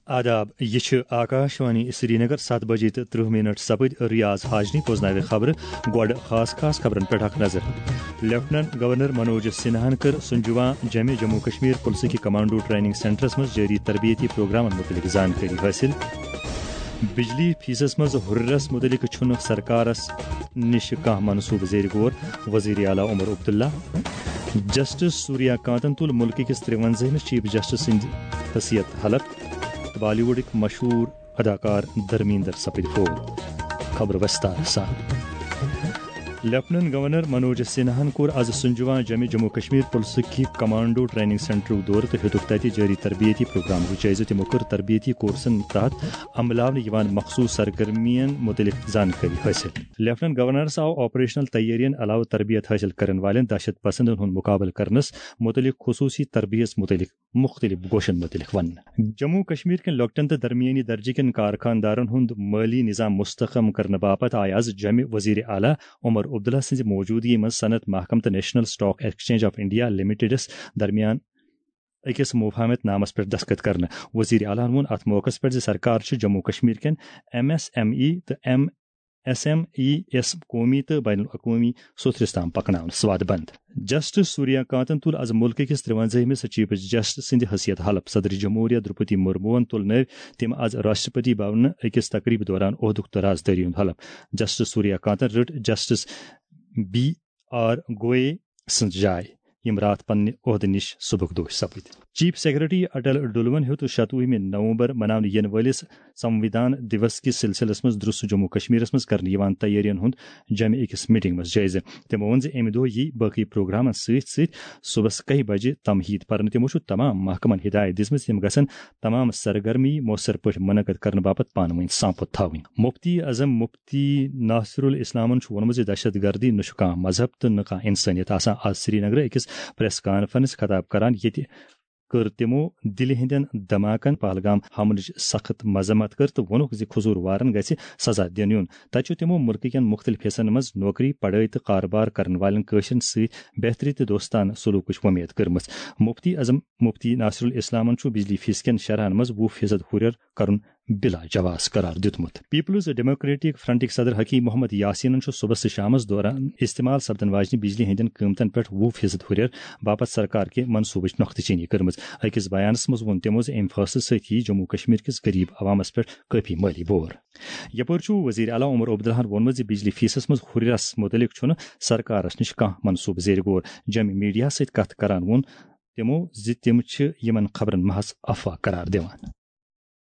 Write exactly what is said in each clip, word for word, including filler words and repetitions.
آداب، یہِ چھِ آکاشوانی سرینگر، ستھ بجے تہٕ ترٕہ منٹ سپٕدۍ۔ ریاض حاجنی بوزناوِ خبرٕ۔ گۄڈٕ خاص خاص خبرن پٮ۪ٹھ اکھ نظر۔ لیفٹننٹ گورنر منوج سنہاہن کٔر سنجوان جمہِ جموں کشمیر پُلسہٕ کہِ کمانڈو ٹریننگ سینٹرس منٛز جٲری تربیتی پروگرامن مُتعلق زانکٲری حٲصِل۔ بجلی فیسس منٛز ہُرٮ۪رس مُتعلق چھُنہٕ سرکارس نِش کانٛہہ منصوبہٕ زیر غور، وزیر اعلیٰ عمر عبداللہ۔ جسٹس سوریا کانتن تُل مُلکہٕ کِس ترٛوَنزٲہمِس چیف جسٹس سٕنٛدِ حیثیت حلف۔ تہٕ بالی ووڈٕکۍ مشہوٗر اداکار دھرمیندر سپٕدۍ فوت۔ خبر وستار سان۔ لیفٹننٹ گورنر منوج سنہاہن کوٚر از سنجوان جمہِ جموں کشمیر پُلسہٕ کہِ کمانڈو ٹریننگ سینٹرُک دورٕ تہٕ ہیوٚتُکھ تتہِ جٲری تربیتی پروگرامُک جٲیزٕ۔ تِمو کٔر تربیتی کورسن تحت عملاونہٕ یِوان مخصوص سرگرمین مُتعلق زانکٲری حٲصِل۔ لیفٹننٹ گورنرس آو آپریشنل تیٲرین علاوٕ تربیت حٲصِل کرن والٮ۪ن دہشت پسندن ہُنٛد مُقابلہٕ کرنس مُتعلق خصوٗصی تربیت مُتعلق مُختٔلِف گوشن مُتعلق وننہٕ۔ جموں کشمیر کٮ۪ن لۄکٹٮ۪ن تہٕ درمیٲنی درجہٕ کٮ۪ن کارخانہٕ دارن ہُنٛد مٲلی نظام مستحکم کرنہٕ باپتھ آیہِ از جمہِ وزیر اعلیٰ عمر عبداللہ سٕنٛزِ موجودگی منٛز صنعت محکمہٕ تہٕ national stock exchange of India لمیٹڈس درمیان أکِس مفاہمت نامس پٮ۪ٹھ دستخط کرنہٕ۔ وزیر اعلیٰ ہن ووٚن اتھ موقعس پٮ۪ٹھ زِ سرکار چھِ جموں کشمیر کٮ۪ن ایم ایس ایم ای تہٕ ایم ایس ایم ای یس قومی تہٕ بین الاقوٲمی سوٚتھرِس تام پکناونس وعدٕ بنٛد۔ جسٹس سوریا کانتن تُل از مُلکہٕ کِس ترٛوَنزٲہمِس چیف جسٹس سٕنٛدِ حیثیت حلف۔ صدر جمہوریہ درپتی مرموہن تُل نٲوۍ تٔمۍ از راشٹرپتی بھونہٕ أکِس تقریبہِ دوران عہدُک تہٕ رازدٲری ہُنٛد حلف۔ جسٹس سوریا کانتن رٔٹ جسٹس بی آر گوئے سٕنٛز جاے، یِم راتھ پننہِ عہدٕ نِش سبکدوش سپٕدۍ۔ چیف سیکرٹری اٹل ڈلون ہیوٚت شتوُہمہِ نومبر مناونہٕ یِنہٕ وٲلِس سموِدھان دیوس کِس سلسلس منٛز درٛس جموں کشمیرس منٛز کرنہٕ یِوان تیٲرین ہُنٛد جمہِ أکِس میٹنگ منٛز جٲیزٕ۔ تِمو ووٚن زِ اَمہِ دۄہ یِیہِ باقٕے پروگرامن سۭتۍ سۭتۍ صبحس کاہہِ بجہِ تمہیٖد پرنہٕ۔ تِمو چھُ تمام محکمن ہدایت دِژمٕژ، تِم گژھن تمام سرگرمی مؤثر پٲٹھۍ منعقد کرنہٕ باپتھ پانہٕ ؤنۍ سانپت تھاوٕنۍ۔ مفتی اعظم مفتی ناصر الاسلامن چھُ ووٚنمُت زِ دہشت گردی نہٕ چھُ کانٛہہ مذہب تہٕ نہٕ کانٛہہ انسٲنیت آسان۔ آز سرینگرٕ أکِس پریس کانفرنس خطاب کران ییٚتہِ کٔر تِمو دِلہِ ہٕنٛدٮ۪ن دھماکن پہلگام حملٕچ سخت مذمت کٔر تہٕ ووٚنُکھ زِ قصوٗروارن گژھِ سزا دِنہٕ یُن۔ تتہِ چھُ تِمو مُلکہٕ کٮ۪ن مُختٔلِف حصن منٛز نوکری، پڑھٲے تہٕ کارٕبار کرن والٮ۪ن کٲشرٮ۪ن سۭتۍ بہتری تہٕ دوستانہٕ سلوکٕچ وۄمید کٔرمٕژ۔ مفتی اعظم مفتی ناصر الاسلامن چھُ بجلی فیس کٮ۪ن شرحن منٛز وُہ فیصد ہُرٮ۪ر کرُن بلا جواز قرار دیُتمُت۔ پیپلز ڈیموکریٹک فرنٹٕکۍ صدر حکیم محمد یاسینن چھُ صبحس تہٕ شامس دوران استعمال سپدن واجنہِ بجلی ہٕنٛدٮ۪ن قۭمتن پٮ۪ٹھ وُہ فیصد ہُرٮ۪ر باپتھ سرکار کہِ منصوبٕچ نۄختہٕ چینی کٔرمٕژ۔ أکِس بیانس منٛز ووٚن تِمو زِ اَمہِ فٲصلہٕ سۭتۍ یِیہِ جموں کشمیر کِس غریب عوامس پٮ۪ٹھ کٲفی مٲلی بور۔ یپٲرۍ چھُ وزیر اعلیٰ عمر عبداللہن ووٚنمُت زِ بجلی فیسس منٛز ہُرٮ۪رس مُتعلق چھُنہٕ سرکارس نِش کانٛہہ منصوبہٕ زیر غور۔ جمہِ میڈیاہس سۭتۍ کتھ کران ووٚن تِمو زِ تِم چھِ یِمن خبرن محض افواہ قرار دِوان۔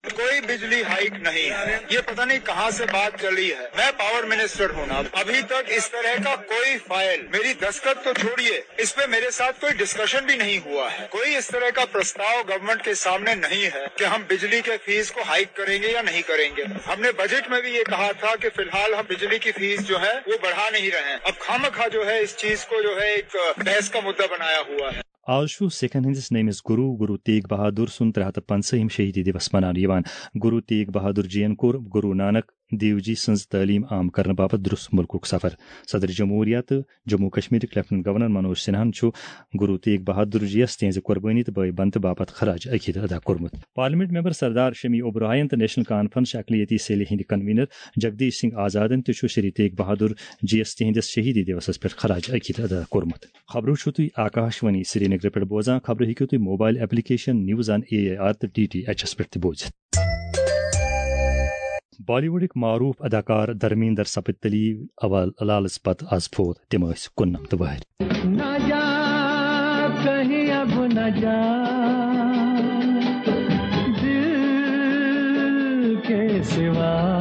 کوئی بجلی ہائیک نہیں ہے، یہ پتہ نہیں کہاں سے بات چلی ہے۔ میں پاور منسٹر ہوں نا، ابھی تک اس طرح کا کوئی فائل، میری دستخط تو چھوڑیے، اس پہ میرے ساتھ کوئی ڈسکشن بھی نہیں ہوا ہے۔ کوئی اس طرح کا پرستاو گورنمنٹ کے سامنے نہیں ہے کہ ہم بجلی کے فیس کو ہائیک کریں گے یا نہیں کریں گے۔ ہم نے بجٹ میں بھی یہ کہا تھا کہ فی الحال ہم بجلی کی فیس جو ہے وہ بڑھا نہیں رہے ہیں۔ اب خامخواہ جو ہے اس چیز کو جو ہے ایک بحث کا مدعا بنایا ہوا ہے۔ آز چھُ سکھن ہٕنٛدِس نٔیمِس گروٗ، گروٗ تیگ بہادُر سُنٛد ترٛےٚ ہَتھ تہٕ پنٛژاہِم شہیدی دِوس مناونہٕ یِوان۔ گروٗ تیگ بہادُر جی یَن کوٚر گروٗ نانک دیو جی سٕنٛز تعلیٖم عام کرنہٕ باپتھ درٛس مُلکُک سفر۔ صدر جمہوریہ تہٕ جموں کشمیرٕکۍ لیفٹننٹ گورنر منوج سنہاہن چھُ گروٗ تیگ بہادُر جی یَس تِہنٛزِ قۄربٲنی تہٕ بٲے بنتہٕ باپتھ خراج عقیدٕ ادا کوٚرمُت۔ پارلیمنٹ ممبر سردار شمی اوبرائن تہٕ نیشنل کانفرنس چھِ اقلیتی سیلہِ ہٕنٛدِ کنوینر جگدیش سنگھ آزادن تہِ چھُ شری تیگ بہادُر جی یَس تِہنٛدِس شہیدی دیوسس پٮ۪ٹھ خراج عقیدٕ ادا کوٚرمُت۔ خبرٕ چھِو تُہۍ آکاشوانی سرینگرٕ پٮ۪ٹھ بوزان۔ خبرٕ ہیٚکِو تُہۍ mobile application news on A I R تہٕ ڈی ٹی ایچ یَس پٮ۪ٹھ تہِ بوٗزِتھ۔ بالی ووڈٕکۍ معروٗف اداکار دھرمیندر سپٕدۍ تلی اول لالس پتہٕ از فوت۔ تِم ٲسۍ کُننمتھ وٕہٕرۍ۔ ناجات کہیں اب ناجات دل کے سوا۔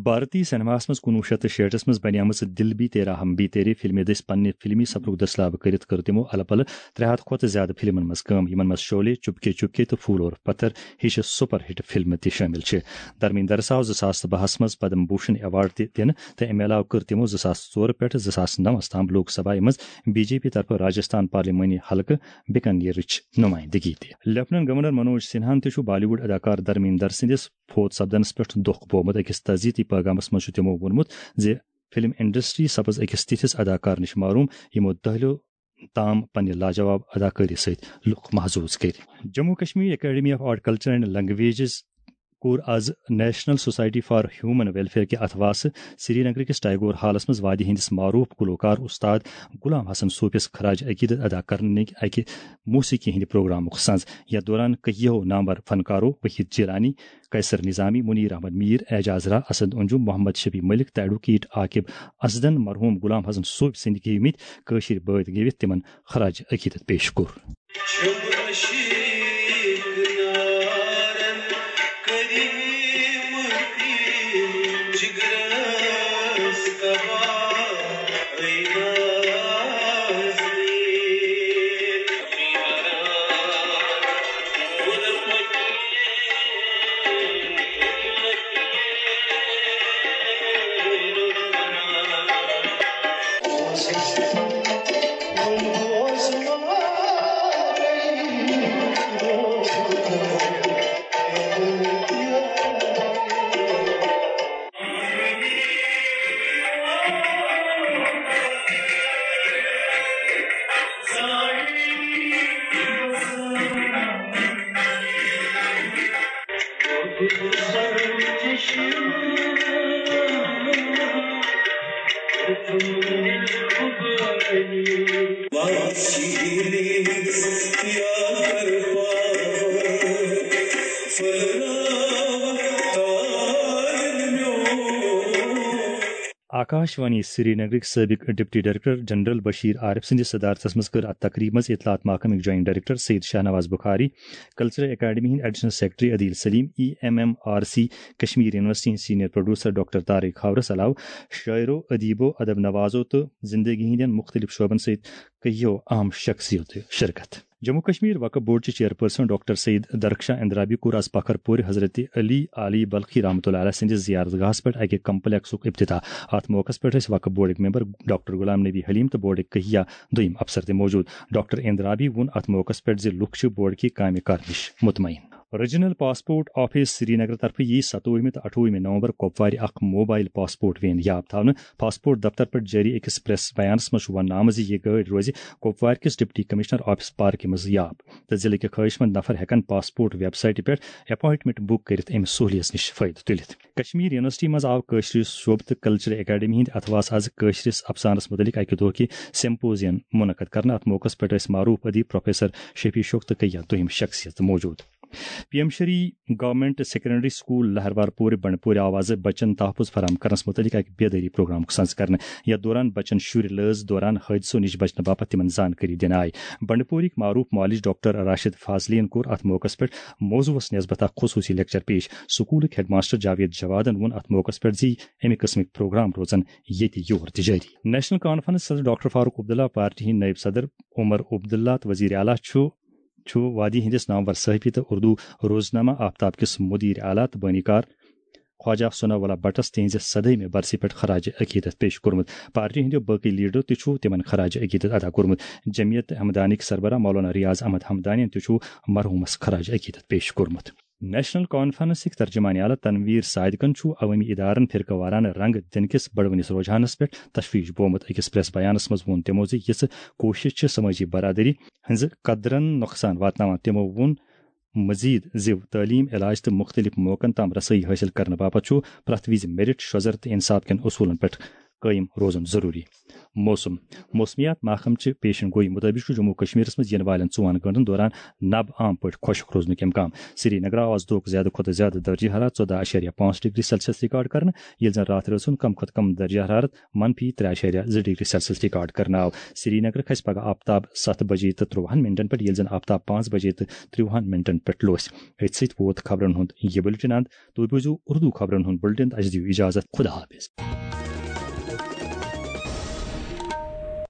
بھارتی سینماہس منٛز کُنوُہ شیٚتھ تہٕ شیٹھس منٛز بنیمٕژ دل بھی تیرا ہم بھی تیرے فلمہِ دٔسۍ پننہِ فلمی سفرُک دٔسلاب کٔرِتھ کٔر تِمو الہٕ پلہٕ ترٛےٚ ہتھ کھۄتہٕ زیادٕ فلمن منٛز کٲم، یِمن منٛز شعلے، چپکے چپکے تہٕ پھول اور پتھر ہِش سپر ہٹ فلمہٕ تہِ شٲمِل چھِ۔ دھرمیندرس آو زٕ ساس تہٕ بَہَس منٛز پدم بھوشن ایوارڈ تہِ دِنہٕ تہٕ امہِ علاوٕ کٔر تِمو زٕ ساس ژور پٮ۪ٹھ زٕ ساس نَوَس تام لوک سبھایہ منٛز بی جے پی طرفہٕ راجستھان پارلیمانی حلقہٕ بیکانیرٕچ نمائندگی تہِ۔ لیفٹننٹ گورنر منوج سنہاہن تہِ چھُ بالی ووڈ اداکار دھرمیندر سٕنٛدِس فوت سپدنس پٮ۪ٹھ دۄکھ بومُت۔ أکِس تعزیتی پیغامس منٛز چھُ تِمو ووٚنمُت زِ فلم انڈسٹری سپٕز أکِس تِتھِس اداکار نِش محروم، یِمو دٔہلیو تام پننہِ لاجواب اداکٲری سۭتۍ لُکھ محظوظ کٔرۍ۔ Jammu Kashmir academy of art culture and languages کوٚر آز national society for human welfare کہِ اتھواسہٕ سری نگر کِس ٹیگور ہالس منٛز وادی ہٕنٛدِس معروف گلوکار استاد غلام حسن صوفیس خراج عقیدت ادا کرنٕکۍ اکہِ موسیقی ہٕنٛدِ پروگرامُک سنز۔ یتھ دوران کٔہیو نامور فنکارو وحید جیلانی، قیصر نظامی، منیر احمد میر، اعجاز راہ، اسد انجم، محمد شفیع ملک تہٕ ایڈوکیٹ عاقب اسدن مرحوم غلام حسن صوفی سٕنٛدۍ گیومٕتۍ کٲشِر بٲتھ گیوِتھ تِمن خراج عقیدت پیش کوٚر۔ آکاش وانی سری نگرٕکۍ سٲبِق deputy director general Bashir Arif سٕنٛدِس صدارتس منٛز کٔر اتھ تقریبہِ منٛز اطلاعات محکمٕکۍ joint director Syed Shahnawaz Bukhari, cultural academy ہٕنٛدۍ additional secretary Adil Saleem, E M M R C Kashmir university ہٕنٛدۍ سینئر پروڈیوسر ڈاکٹر طارق خاورس علاوٕ شاعرو، ادیبو، ادب نوازو تہٕ زندگی ہٕنٛدٮ۪ن مختلف شعبن سۭتۍ کٔہیو اہم شخصیتو شرکت۔ جموں کشمیر وقف بورڈ چہِ چیئرپرسن ڈاکٹر سید درخشاں اندرابی کوٚر آز پکھر پورِ حضرت علی عالی بلخی رحمتہ اللہ علیہ سٕنٛدِس زیارت گاہس پٮ۪ٹھ اکہِ کمپلیکسُک افتتاح۔ اتھ موقعس پٮ۪ٹھ ٲسۍ وقف بورڈٕکۍ ممبر ڈاکٹر غلام نبی حلیم تہٕ بورڈٕکۍ کہیا دوٚیم افسر تہِ موجود۔ ڈاکٹر اندرابی ووٚن اتھ موقعس پٮ۪ٹھ زِ لُکھ چھِ بورڈ کہِ کامہِ کرنٕچ مطمئن۔ ریجنل پاسپورٹ آفس سری نگر طرفہٕ یی ستووُہمہِ تہٕ اَٹھووُہمہِ نومبر کۄپوارِ اکھ موبائل پاسپورٹ وین یاب تھاونہٕ۔ پاسپورٹ دفتر پٮ۪ٹھ جٲری أکِس پریس بیانس منٛز چھُ وننہٕ آمُت زِ یہِ گٲڑۍ روزِ کۄپوارِ کِس ڈپٹی کمشنر آفس پارکہِ منٛز یاب، تہٕ ضلعہٕ کہِ خٲہِش مند نفر ہٮ۪کن پاسپورٹ ویب سائٹہِ پٮ۪ٹھ اپائنٹمنٹ بُک کٔرِتھ اَمہِ سہوٗلیت نِش فٲیدٕ تُلِتھ۔ کشمیر یونیورسٹی منٛز آو کٲشرِ شعبہٕ تہٕ کلچرل اکیڈمی ہٕنٛدِ اتھواسہٕ آز کٲشرِس افسانس مُتعلق اکہِ دۄہ کہِ سیمپوزیم منعقد کرنہٕ۔ اتھ موقعس پٮ۪ٹھ ٲسۍ معروف ادیب پروفیسر شفیع شوق تہٕ کیا دوٚیِم شخصیت موجود۔ P M Shri government secondary school Lahrwarpora Bandipora آو آز بچن تحفظ فراہم کرنس متعلق اکہِ بیدٲری پروگرامُک سنز کرنہٕ۔ یتھ دوران بچن شُرۍ لٲز دوران حٲدثو نِش بچنہٕ باپتھ تِمن زانکٲری دِنہٕ آیہِ۔ بنڈپورِک معروف معالج ڈاکٹر راشد فاضلین کوٚر اتھ موقعس پٮ۪ٹھ موضوعس نسبت اکھ خصوصی لیکچر پیش۔ سکولٕکۍ ہیڈ ماسٹر جاوید جوادن ووٚن اتھ موقعس پٮ۪ٹھ زِ اَمہِ قٕسمٕکۍ پروگرام روزن ییٚتہِ یور تہِ جٲری۔ نیشنل کانفرنس صدر ڈاکٹر فاروق عبداللہ، پارٹی ہٕنٛدۍ نٲیِب صدر عمر عبداللہ تہٕ وزیر اعلیٰ چھُ چھُ وادی ہٕنٛدِس نامور صحافی تہٕ اردو روزنامہ آفتاب کِس مدیر اعلیٰ تہٕ بٲنی کار خواجہ ثناء اللہ بٹس تِہنٛزِ صدٲیمہِ برسہِ پٮ۪ٹھ خراج عقیدت پیش کوٚرمُت۔ پارٹی ہٕنٛدیو باقٕے لیڈرو تہِ چھُ تِمن خراج عقیدت ادا کوٚرمُت۔ جمعیت ہمدانیکۍ سربراہ مولانا ریاض احمد ہمدانین تہِ چھُ مرحومس خراج عقیدت پیش کوٚرمُت۔ نیشنل کانفرنسٕکۍ ترجمان اعلیٰ تنویر صادقن چھُ عوٲمی ادارن فرقہٕ وارانہٕ رنگ دِنہٕ کِس بڑوٕنِس رجحانس پٮ۪ٹھ تشویش بومُت۔ أکِس پریس بیانس منٛز ووٚن تِمو زِ یِژھ کوٗشش چھِ سمٲجی برادری ہٕنٛزِ قدرن نۄقصان واتناوان۔ تِمو ووٚن مزید زِ تعلیم، علاج تہٕ مختلف موقعن تام رسٲیی حٲصِل کرنہٕ باپتھ چھُ پرٛٮ۪تھ وِزِ میرٹ، شوزر تہٕ انصاف کٮ۪ن اصوٗلن پٮ۪ٹھ قٲیِم روزُن ضروٗری۔ موسم۔ موسمیات محکمہٕ چہِ پیشن گویی مُطٲبِق چھُ جموں و کشمیرس منٛز یِنہٕ والٮ۪ن ژۄن گٲنٛٹن دوران نبہٕ عام پٲٹھۍ خۄشک روزنُک امکان۔ سری نگرٕ آو آز دۄہُک زیادٕ کھۄتہٕ زیادٕ درجہ حرارت ژۄداہ اَشاریہ پانٛژھ ڈگری سیلسیس ریکارڈ کرنہٕ، ییٚلہِ زن راتھ رٲژ ہُنٛد کم کھۄتہٕ کم درجہ حرارت منفی ترٛےٚ اَشاریہ زٕ ڈگری سیلسیس ریکارڈ کرنہٕ آو۔ سری نگر کھسہِ پگہہ آفتاب ستھ بجے تہٕ ترٛۆہن منٹن پٮ۪ٹھ، ییٚلہِ زن آفتاب پانٛژھ بجے تہٕ ترٛۆہن منٹن پٮ۪ٹھ لوس۔ أتھۍ سۭتۍ ووت خبرن ہُنٛد یہِ بُلٹن اند۔ تُہۍ بوٗزِو اردو خبرن ہُنٛد بُلٹن تہٕ اَسہِ دِیِو اجازت۔ خدا حافظ۔